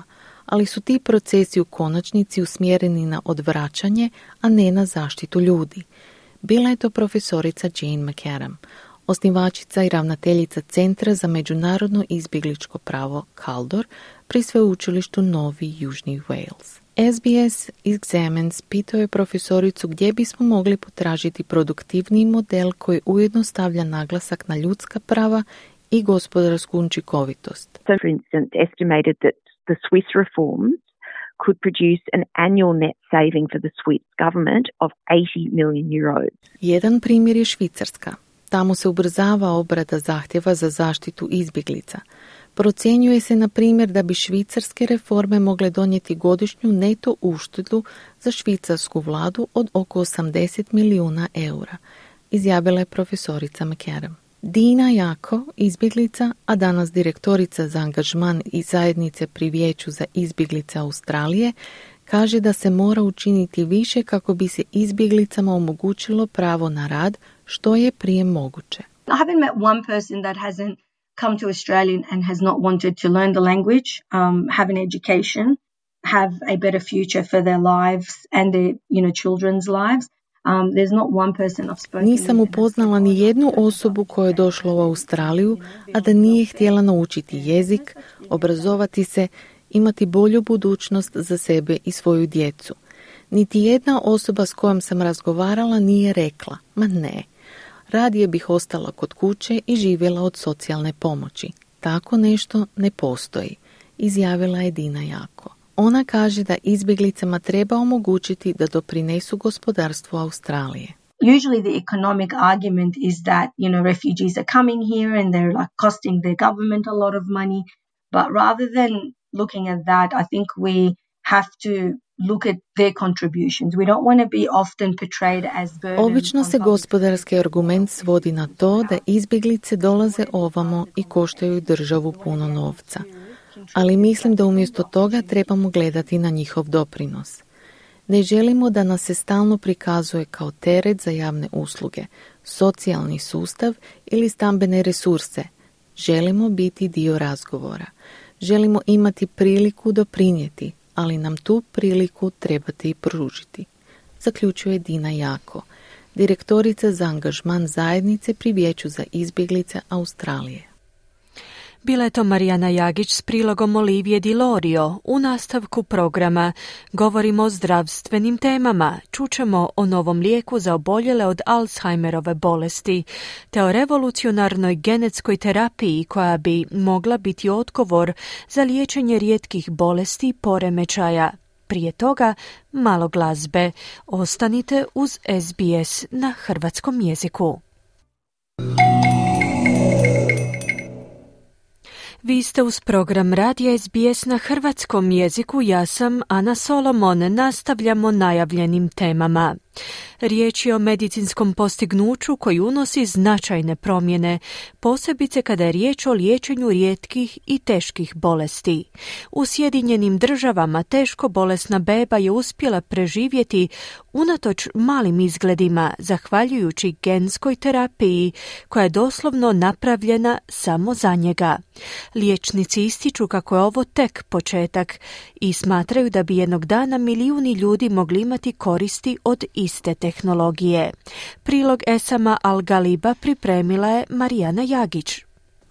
ali su ti procesi u konačnici usmjereni na odvraćanje, a ne na zaštitu ljudi. Bila je to profesorica Jane McAdam, osnivačica i ravnateljica Centra za međunarodno izbjegličko pravo Kaldor pri sveučilištu Novi Južni Wales. S B S Examines pitao je profesoricu gdje bismo mogli potražiti produktivniji model koji ujedno stavlja naglasak na ljudska prava i gospodarsku učinkovitost. So, for instance, estimated that the Swiss reforms could produce an annual net saving for the Swiss government of eighty million euros. Jedan primjer je Švicarska. Tamo se ubrzava obrada zahtjeva za zaštitu izbjeglica. Procjenjuje se, na primjer, da bi švicarske reforme mogle donijeti godišnju neto uštedu za švicarsku vladu od oko osamdeset milijuna eura, izjavila je profesorica McAdam. Dina Jako, izbjeglica, a danas direktorica za angažman i zajednice pri Vijeću za izbjeglice Australije, kaže da se mora učiniti više kako bi se izbjeglicama omogućilo pravo na rad što je prije moguće. I haven't met one person that hasn't come to Australia and has not wanted to learn the language, um, have an education, have a better future for their lives and their, you know, children's lives. Um, there's not one person I've spoken Nisam upoznala ni jednu osobu koja je došla u Australiju, a da nije htjela naučiti jezik, obrazovati se, imati bolju budućnost za sebe i svoju djecu. Niti jedna osoba s kojom sam razgovarala nije rekla, ma ne, radije bih ostala kod kuće i živjela od socijalne pomoći. Tako nešto ne postoji, izjavila je Dina Jako. Ona kaže da izbjeglicama treba omogućiti da doprinesu gospodarstvu Australije. Usually the economic argument is that, you know, refugees are coming here and they're like costing the government a lot of money. But rather than looking at that, I think we have to look at their contributions. We don't want to be often portrayed as burden. Obično se gospodarski argument svodi na to da izbjeglice dolaze ovamo i koštaju državu puno novca. Ali mislim da umjesto toga trebamo gledati na njihov doprinos. Ne želimo da nas se stalno prikazuje kao teret za javne usluge, socijalni sustav ili stambene resurse. Želimo biti dio razgovora. Želimo imati priliku doprinijeti, ali nam tu priliku trebate i pružiti, zaključuje Dina Jako, direktorica za angažman zajednice pri Vijeću za izbjeglice Australije. Bila je to Marijana Jagić s prilogom Olivije Di Lorio. U nastavku programa govorimo o zdravstvenim temama. Čućemo o novom lijeku za oboljele od Alzheimerove bolesti, te o revolucionarnoj genetskoj terapiji koja bi mogla biti odgovor za liječenje rijetkih bolesti i poremećaja. Prije toga malo glazbe. Ostanite uz S B S na hrvatskom jeziku. Vi ste uz program Radija S B S na hrvatskom jeziku, ja sam Ana Solomon, nastavljamo najavljenim temama. Riječ je o medicinskom postignuću koji unosi značajne promjene, posebice kada je riječ o liječenju rijetkih i teških bolesti. U Sjedinjenim državama teško bolesna beba je uspjela preživjeti unatoč malim izgledima, zahvaljujući genskoj terapiji koja je doslovno napravljena samo za njega. Liječnici ističu kako je ovo tek početak i smatraju da bi jednog dana milijuni ljudi mogli imati koristi od iste tehnologije. Prilog Esama Al-Galiba pripremila je Marijana Jagić.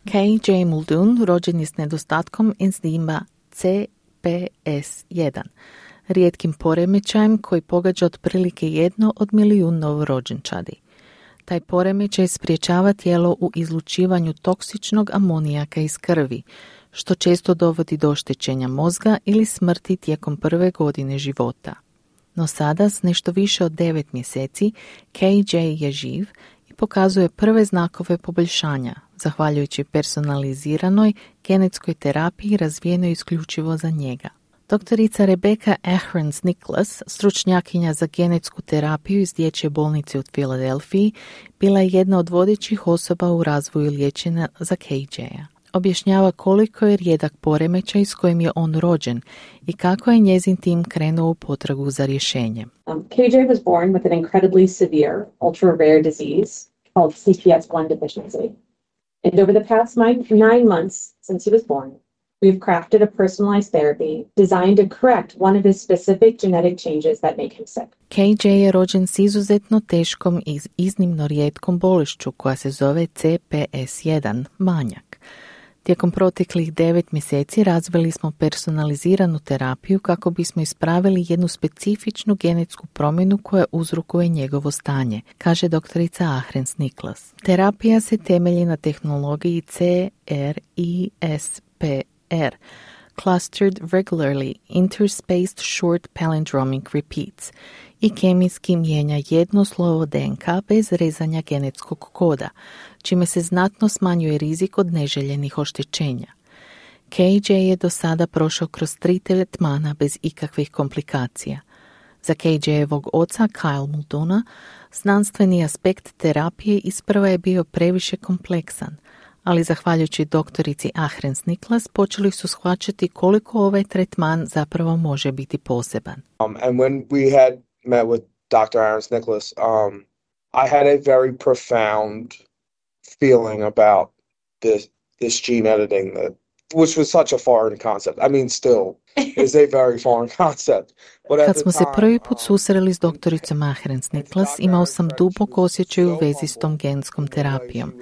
K J Muldoon rođen je s nedostatkom enzima C P S jedan, rijetkim poremećajem koji pogađa otprilike jedno od milijun novorođenčadi. Taj poremećaj sprječava tijelo u izlučivanju toksičnog amonijaka iz krvi, što često dovodi do oštećenja mozga ili smrti tijekom prve godine života. No sada, s nešto više od devet mjeseci, K J je živ i pokazuje prve znakove poboljšanja, zahvaljujući personaliziranoj genetskoj terapiji razvijenoj isključivo za njega. Doktorica Rebecca Ahrens-Nicholas, stručnjakinja za genetsku terapiju iz dječje bolnice u Filadelfiji, bila je jedna od vodećih osoba u razvoju liječenja za K J-a. Objašnjava koliko je rijedak poremećaj s kojim je on rođen i kako je njezin tim krenuo u potragu za rješenje. Um, K J was born with an incredibly severe, ultra-rare disease called C P S one deficiency. And over the past nine, nine months since he was born, We've crafted a personalized therapy designed to correct one of his specific genetic changes that make him sick. K J je rođen s izuzetno teškom i iznimno rijetkom bolešću koja se zove C P S jedan, manjak. Tijekom proteklih devet mjeseci razvili smo personaliziranu terapiju kako bismo ispravili jednu specifičnu genetsku promjenu koja uzrokuje njegovo stanje, kaže doktorica Ahrens Niklas. Terapija se temelji na tehnologiji C R I S P R, Clustered Regularly Interspaced Short Palindromic Repeats, i kemijski mijenja jedno slovo D N K bez rezanja genetskog koda, čime se znatno smanjuje rizik od neželjenih oštećenja. K J je do sada prošao kroz tri tretmana bez ikakvih komplikacija. Za K J-evog oca Kyle Mulduna znanstveni aspekt terapije isprva je bio previše kompleksan, ali zahvaljujući doktorici Ahrens Niklas počeli su shvaćati koliko ovaj tretman zapravo može biti poseban. Um, and when we had met with Doctor Ahrens Niklas, um, I had a very profound feeling about this this gene editing that which was such a foreign concept. I mean, still is a very foreign concept. But Kad smo se prvi put susreli s doktoricom Ahrens Niklas, imao sam dubok osjećaj u vezi s tom genskom terapijom,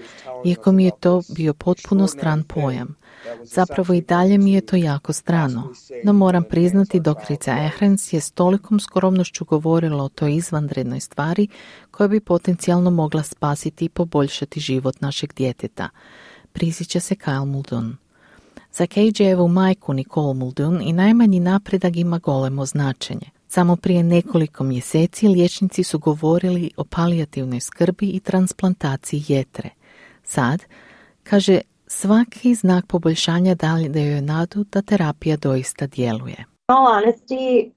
iako mi je to bio potpuno stran pojam. Zapravo i dalje mi je to jako strano, no moram priznati doktorica Ahrens je s tolikom skromnošću govorila o toj izvanrednoj stvari koja bi potencijalno mogla spasiti i poboljšati život našeg djeteta. Prisjeća se Kyle Muldoon. Za K J-evu majku Nicole Muldoon i najmanji napredak ima golemo značenje. Samo prije nekoliko mjeseci liječnici su govorili o palijativnoj skrbi i transplantaciji jetre. Sad, kaže, svaki znak poboljšanja daje joj nadu da terapija doista djeluje. In all honesty,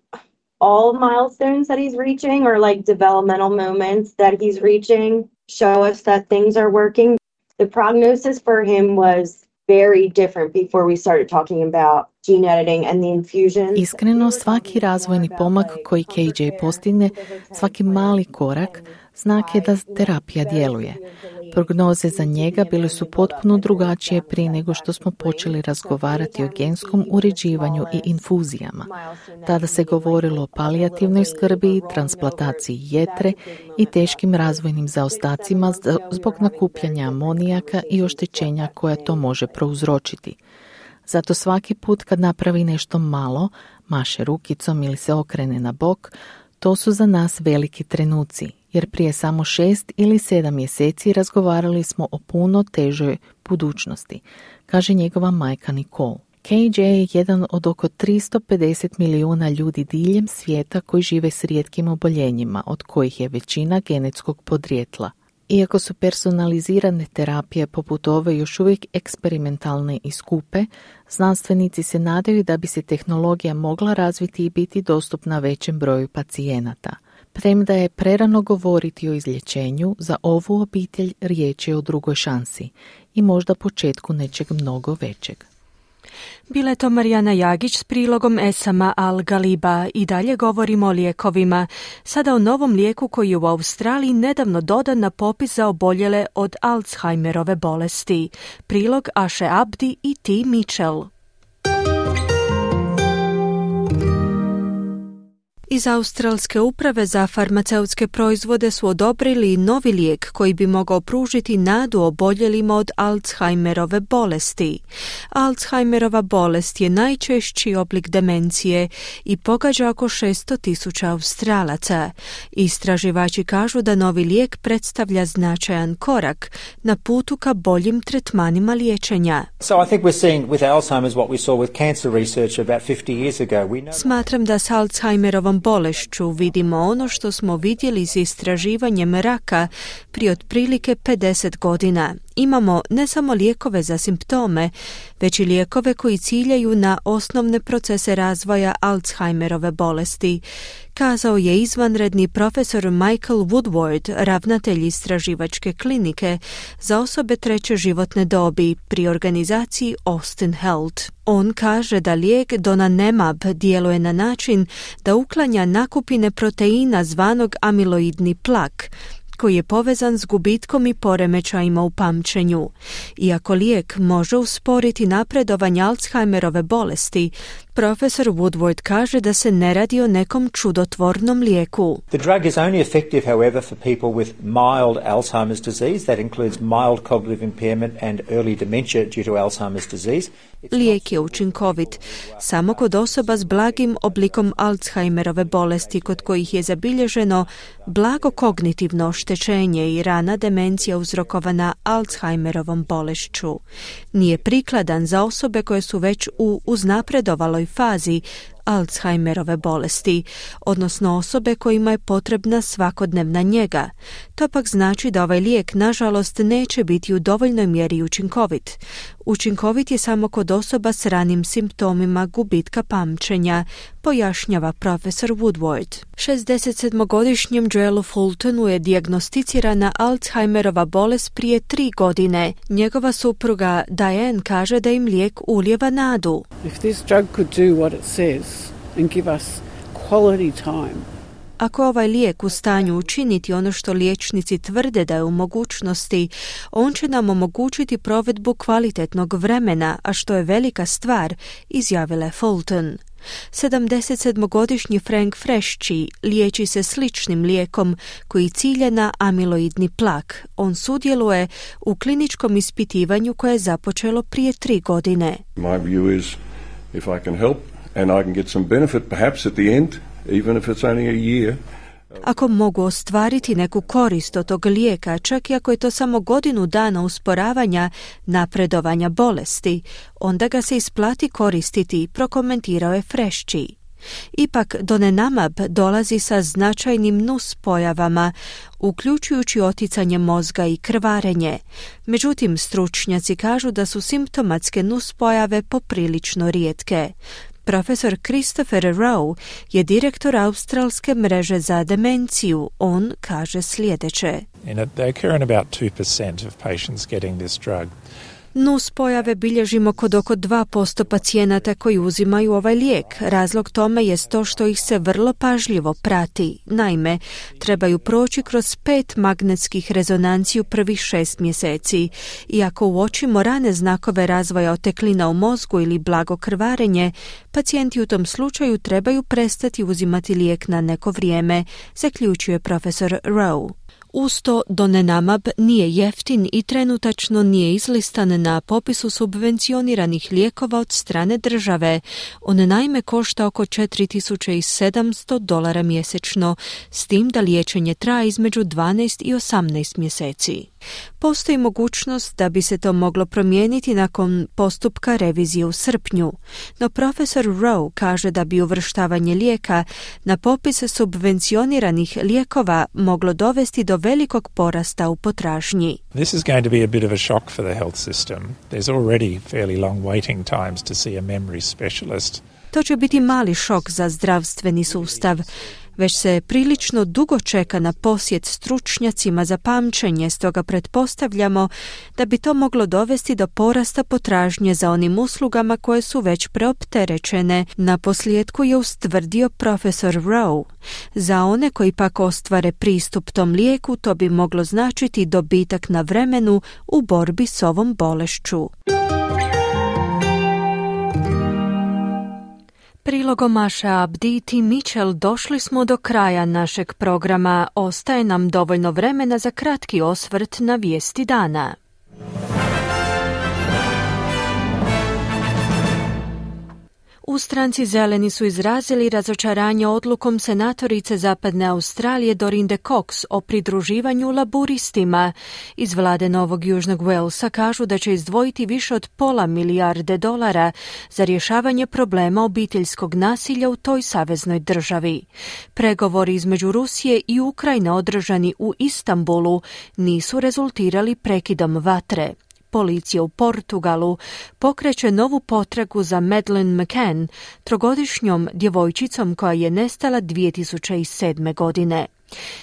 all milestones that he's reaching or like developmental moments that he's reaching show us that things are working. The prognosis for him was very different before we started talking about gene editing and the infusion. Iskreno, svaki razvojni pomak koji K J postigne, svaki mali korak, znak je da terapija djeluje. Prognoze za njega bile su potpuno drugačije prije nego što smo počeli razgovarati o genskom uređivanju i infuzijama. Tada se govorilo o palijativnoj skrbi, transplantaciji jetre i teškim razvojnim zaostacima zbog nakupljanja amonijaka i oštećenja koja to može prouzročiti. Zato svaki put kad napravi nešto malo, maše rukicom ili se okrene na bok, to su za nas veliki trenuci, jer prije samo šest ili sedam mjeseci razgovarali smo o puno težoj budućnosti, kaže njegova majka Nicole. K J je jedan od oko tristo pedeset milijuna ljudi diljem svijeta koji žive s rijetkim oboljenjima, od kojih je većina genetskog podrijetla. Iako su personalizirane terapije poput ove još uvijek eksperimentalne i skupe, znanstvenici se nadaju da bi se tehnologija mogla razviti i biti dostupna većem broju pacijenata. Premda je prerano govoriti o izlječenju, za ovu obitelj riječ je o drugoj šansi i možda početku nečeg mnogo većeg. Bila je to Marijana Jagić s prilogom Esama Al-Galiba. I dalje govorimo o lijekovima. Sada o novom lijeku koji je u Australiji nedavno dodan na popis za oboljele od Alzheimerove bolesti. Prilog Aše Abdi i T. Mitchell. Iz Australske uprave za farmaceutske proizvode su odobrili novi lijek koji bi mogao pružiti nadu oboljelima od Alzheimerove bolesti. Alzheimerova bolest je najčešći oblik demencije i pogađa oko šesto tisuća Australaca. Istraživači kažu da novi lijek predstavlja značajan korak na putu ka boljim tretmanima liječenja. So I think we're seeing with Alzheimer's what we saw with cancer research about fifty years ago. We know... Smatram da s Alzheimerovom bolešću vidimo ono što smo vidjeli s istraživanjem raka prije otprilike pedeset godina. Imamo ne samo lijekove za simptome, već i lijekove koji ciljaju na osnovne procese razvoja Alzheimerove bolesti, kazao je izvanredni profesor Michael Woodward, ravnatelj istraživačke klinike za osobe treće životne dobi pri organizaciji Austin Health. On kaže da lijek donanemab djeluje na način da uklanja nakupine proteina zvanog amiloidni plak, koji je povezan s gubitkom i poremećajima u pamćenju. Iako lijek može usporiti napredovanje Alzheimerove bolesti, profesor Woodward kaže da se ne radi o nekom čudotvornom lijeku. The drug is only effective, however, for people with mild Alzheimer's disease. That includes mild cognitive impairment and early dementia due to Alzheimer's disease. Lijek je učinkovit samo kod osoba s blagim oblikom Alzheimerove bolesti kod kojih je zabilježeno blago kognitivno oštećenje i rana demencija uzrokovana Alzheimerovom bolešću. Nije prikladan za osobe koje su već u uznapredovaloj fazi Alzheimerove bolesti, odnosno osobe kojima je potrebna svakodnevna njega. To pak znači da ovaj lijek, nažalost, neće biti u dovoljnoj mjeri učinkovit. Učinkovit je samo kod osoba s ranim simptomima gubitka pamćenja, pojašnjava profesor Woodward. šezdesetsedmogodišnjem Joelu Fultonu je dijagnosticirana Alzheimerova bolest prije tri godine. Njegova supruga Diane kaže da im lijek ulijeva nadu. If this drug could do what it says and give us quality time. Ako ovaj lijek u stanju učiniti ono što liječnici tvrde da je u mogućnosti, on će nam omogućiti provedbu kvalitetnog vremena, a što je velika stvar, izjavila je Fulton. sedamdesetsedmogodišnji Frank Frešći liječi se sličnim lijekom koji cilja na amiloidni plak. On sudjeluje u kliničkom ispitivanju koje je započelo prije tri godine. My view is if I can help and I can get some benefit perhaps at the end, even if it's only a year. Ako mogu ostvariti neku korist od tog lijeka, čak i ako je to samo godinu dana usporavanja napredovanja bolesti, onda ga se isplati koristiti, prokomentirao je Frešći. Ipak Donemab dolazi sa značajnim nus pojavama, uključujući oticanje mozga i krvarenje. Međutim, stručnjaci kažu da su simptomatske nus pojave poprilično rijetke. Profesor Christopher Rowe je direktor australske mreže za demenciju. On kaže sljedeće. They occur in about two percent of patients getting this drug. Nus pojave bilježimo kod oko dva posto pacijenata koji uzimaju ovaj lijek. Razlog tome je to što ih se vrlo pažljivo prati. Naime, trebaju proći kroz pet magnetskih rezonanci u prvih šest mjeseci. I ako uočimo rane znakove razvoja oteklina u mozgu ili blago krvarenje, pacijenti u tom slučaju trebaju prestati uzimati lijek na neko vrijeme, zaključuje profesor Rowe. Uz to Donemab nije jeftin i trenutačno nije izlistan na popisu subvencioniranih lijekova od strane države. On naime košta oko četiri tisuće sedamsto dolara mjesečno, s tim da liječenje traje između dvanaest i osamnaest mjeseci. Postoji mogućnost da bi se to moglo promijeniti nakon postupka revizije u srpnju, no profesor Rowe kaže da bi uvrštavanje lijeka na popis subvencioniranih lijekova moglo dovesti do velikog porasta u potražnji. This is going to be a bit of a shock for the health system. There's already fairly long waiting times to see a memory specialist. To će biti mali šok za zdravstveni sustav. Već se prilično dugo čeka na posjet stručnjacima za pamćenje, stoga pretpostavljamo da bi to moglo dovesti do porasta potražnje za onim uslugama koje su već preopterećene, na posljedku je ustvrdio profesor Rowe. Za one koji pak ostvare pristup tom lijeku, to bi moglo značiti dobitak na vremenu u borbi s ovom bolešću. Prilogom Maša Abdi i Tim Mitchell došli smo do kraja našeg programa. Ostaje nam dovoljno vremena za kratki osvrt na vijesti dana. U stranci Zeleni su izrazili razočaranje odlukom senatorice Zapadne Australije Dorinde Cox o pridruživanju laburistima. Iz vlade Novog Južnog Walesa kažu da će izdvojiti više od pola milijarde dolara za rješavanje problema obiteljskog nasilja u toj saveznoj državi. Pregovori između Rusije i Ukrajine održani u Istanbulu nisu rezultirali prekidom vatre. Policija u Portugalu pokreće novu potragu za Madeleine McCann, trogodišnjom djevojčicom koja je nestala dvije tisuće sedme. godine.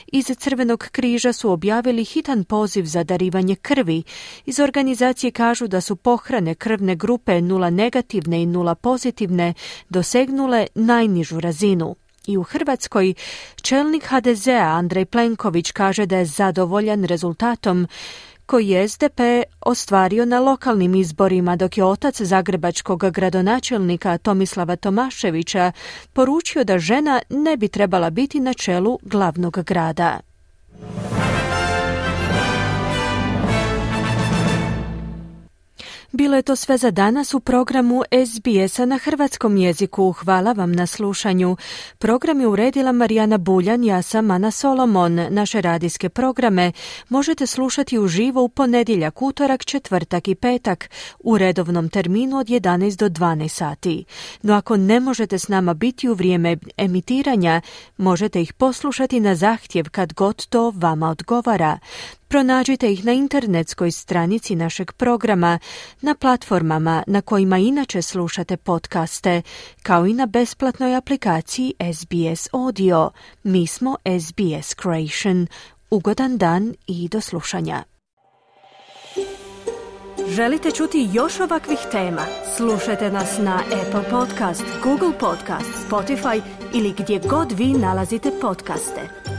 Iz Crvenog križa su objavili hitan poziv za darivanje krvi. Iz organizacije kažu da su pohrane krvne grupe nula negativne i nula pozitivne dosegnule najnižu razinu. I u Hrvatskoj čelnik ha de zea Andrej Plenković kaže da je zadovoljan rezultatom koji je es de pe ostvario na lokalnim izborima, dok je otac zagrebačkog gradonačelnika Tomislava Tomaševića poručio da žena ne bi trebala biti na čelu glavnog grada. Bilo je to sve za danas u programu es be es-a na hrvatskom jeziku. Hvala vam na slušanju. Program je uredila Marijana Buljan, ja sam Ana Solomon. Naše radijske programe možete slušati uživo u ponedjeljak, utorak, četvrtak i petak u redovnom terminu od jedanaest do dvanaest sati. No ako ne možete s nama biti u vrijeme emitiranja, možete ih poslušati na zahtjev kad god to vama odgovara. Pronađite ih na internetskoj stranici našeg programa, na platformama na kojima inače slušate podcaste, kao i na besplatnoj aplikaciji es be es Audio. Mi smo es be es Creation. Ugodan dan i do slušanja. Želite čuti još ovakvih tema? Slušajte nas na Apple Podcast, Google Podcast, Spotify ili gdje god vi nalazite podcaste.